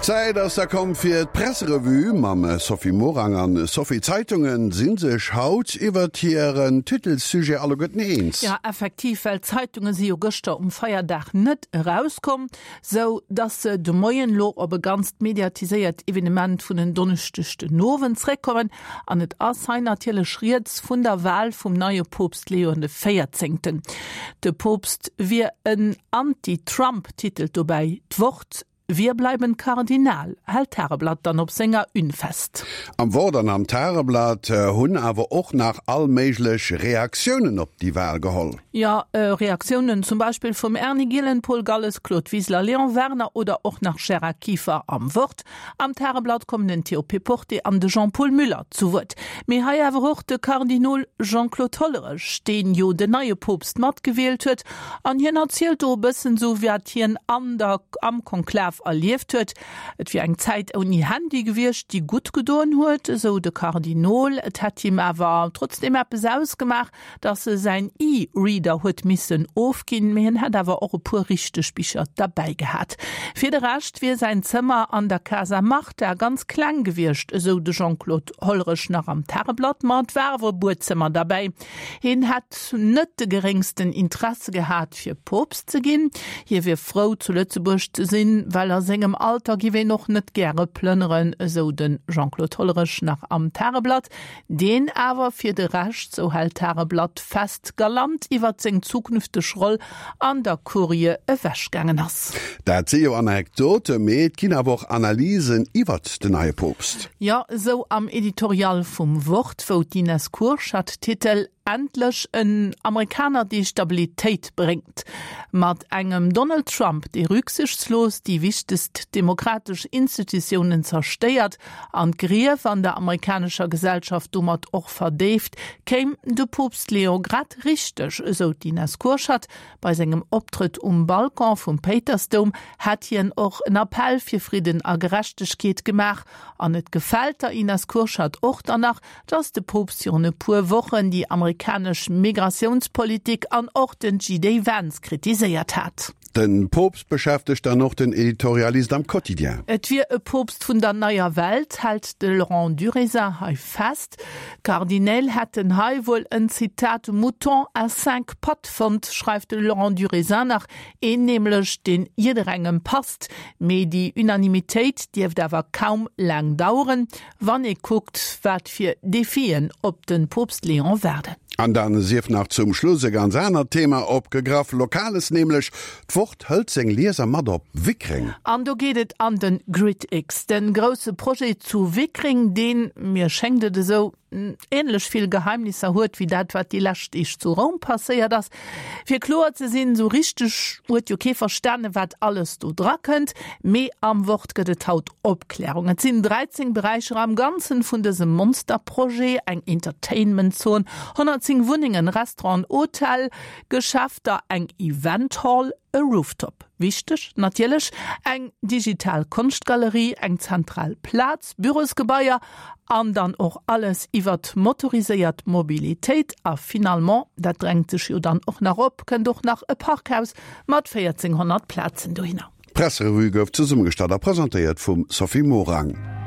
D'Zäit ass da komm fir d'Presserevue mam Sophie Morang. An Sophie, d'Zeitungen si sech haut iwwert hiren Titelsujet alleguerten eens. Jo, effektiv, well d'Zeitunge si jo gëschter um Feierdag net erauskomm, sou dass se de Moien lo op e ganzt mediatiséiert Evenement vun en Donneschdeg den Owend zréckkommen. An et ass hei natierlech rieds vun der Wal vum neie Poopst Leon de Véierzéngten. De Poopst wier en Anti-Trump, titelt dobäi d'Wort. Wir bleiben Kardinal, hält d'Tageblatt dann op senger Une fest. Am Wort an am Tageblatt hunn awer och nach all méiglech Reaktiounen op déi Wal geholl. Jo, Reaktiounen zum Beispill vum Erny Gielen, Paul Galles, Claude Wiseler, Léon Werner oder och nach Gérard Kieffer am Wort. Am Tageblatt kommen den Théo Péporté an de Jean-Paul Müller zu Wuert. Mee hei awer och de Kardinol Jean-Claude Hollerech, deen jo den neie Poopst matgewielt huet. An hien erzielt do e bëssen esou, wat hien an der am Konklav erlieft huet. Et wier eng Zäit ouni Handy gewiescht, déi gutt gedoen huet, esou de Kardinol. Et hätt him awer trotzdeem eppes ausgemaach, dass e säin E-Reader huet missen ofginn, mee hien hätt awer och e puer richteg Bicher derbäi gehat. Fir de Rescht wier säin Zëmmer an der Casa Martha ganz kleng gewiescht, esou de Jean-Claude Hollerech nach am Tageblatt, ma et war awer e Buedzëmmer derbäi. Hien hätt net de geréngsten Interesse gehat, fir Poopst ze ginn. Hie wier frou, zu Lëtzebuerg ze sinn, well a sengem Alter giff een och net gäre plënneren, esou de Jean-Claude Hollerech nach am Tageblatt. Deen awer fir de Rescht, sou hält d'Tageblatt fest, galant iwwert seng zukünfteg Roll an der Kurie ewechgaangen ass. Dat si jo Anekdote, mee et ginn awer och Analysen iwwert den neie Poopst. Jo, esou am Editorial vum Wort, wou d'Ines Kurschat Titel Endlech en Amerikaner, dee Stabilitéit bréngt. Mat engem Donald Trump, dee rücksichtslos déi wichtegst demokratesch Institutiounen zerstéiert an d'Grief an der amerikanescher Gesellschaft domat och verdéift, kéim de Poopst Leo grad richteg, esou d'Ines Kurschat. Bei sengem Optrëtt um Balcon vum Péitersdoum hätt hien och en Appell fir Fridden a Gerechtegkeet gemaach. An et gefält der Ines Kurschat och dann nach, dass de Poopst virun e puer Wochen déi amerikanesch Migratiounspolitik an och den JD Vance kritiséiert hat. De Poopst beschäftegt dann och den Editorialist am Quotidien. Et wier e Poopst vun der neier Welt, hält de Laurent Durézin hei fest. D'Kardinäl hätten hei wuel en, Zitat, mouton à cinq pattes fonnt, schreift de Laurent Durézin nach, een nämlech, deen jidderengem passt. Mee déi Unanimitéit dierft awer kaum laang daueren. Wann ee kuckt, wat fir Defien op de Poopst Léon waarden. An dann sief nach zum Schluss e ganz anert Thema opgegraff, Lokales nämlech. D'Wort hëlt seng Lieser mat op Wickreng. An do geet et an de GridX, de grousse Projet zu Wickreng, deen, mir schéngt et esou, änlech vill Geheimnisser huet wéi dat, wat déi lescht Deeg zu Roum passéiert ass. Fir kloer ze sinn, esou richteg huet jo kee verstanen, wat alles do dra kënnt, mee am Wort gëtt et haut Opklärung. Et sinn 13 Beräicher am Ganzen vun dësem Monsterprojet, eng Entertainment-Zon, 110 Wunnengen, Restauranten, Hotel, Geschäfter, eng Event Hall, e Rooftop, wichteg natierlech, eng digital Konschtgalerie, eng zentral Plaz, Bürosgebaier an dann och alles iwwert motoriséiert Mobilitéit. A finalement, dat drängt sech jo dann och nach op, kënnt och nach e Parkhaus mat 1.400 Plazen dohinner. D'Presserevue gouf zesummegestallt a presentéiert vum Sophie Morang.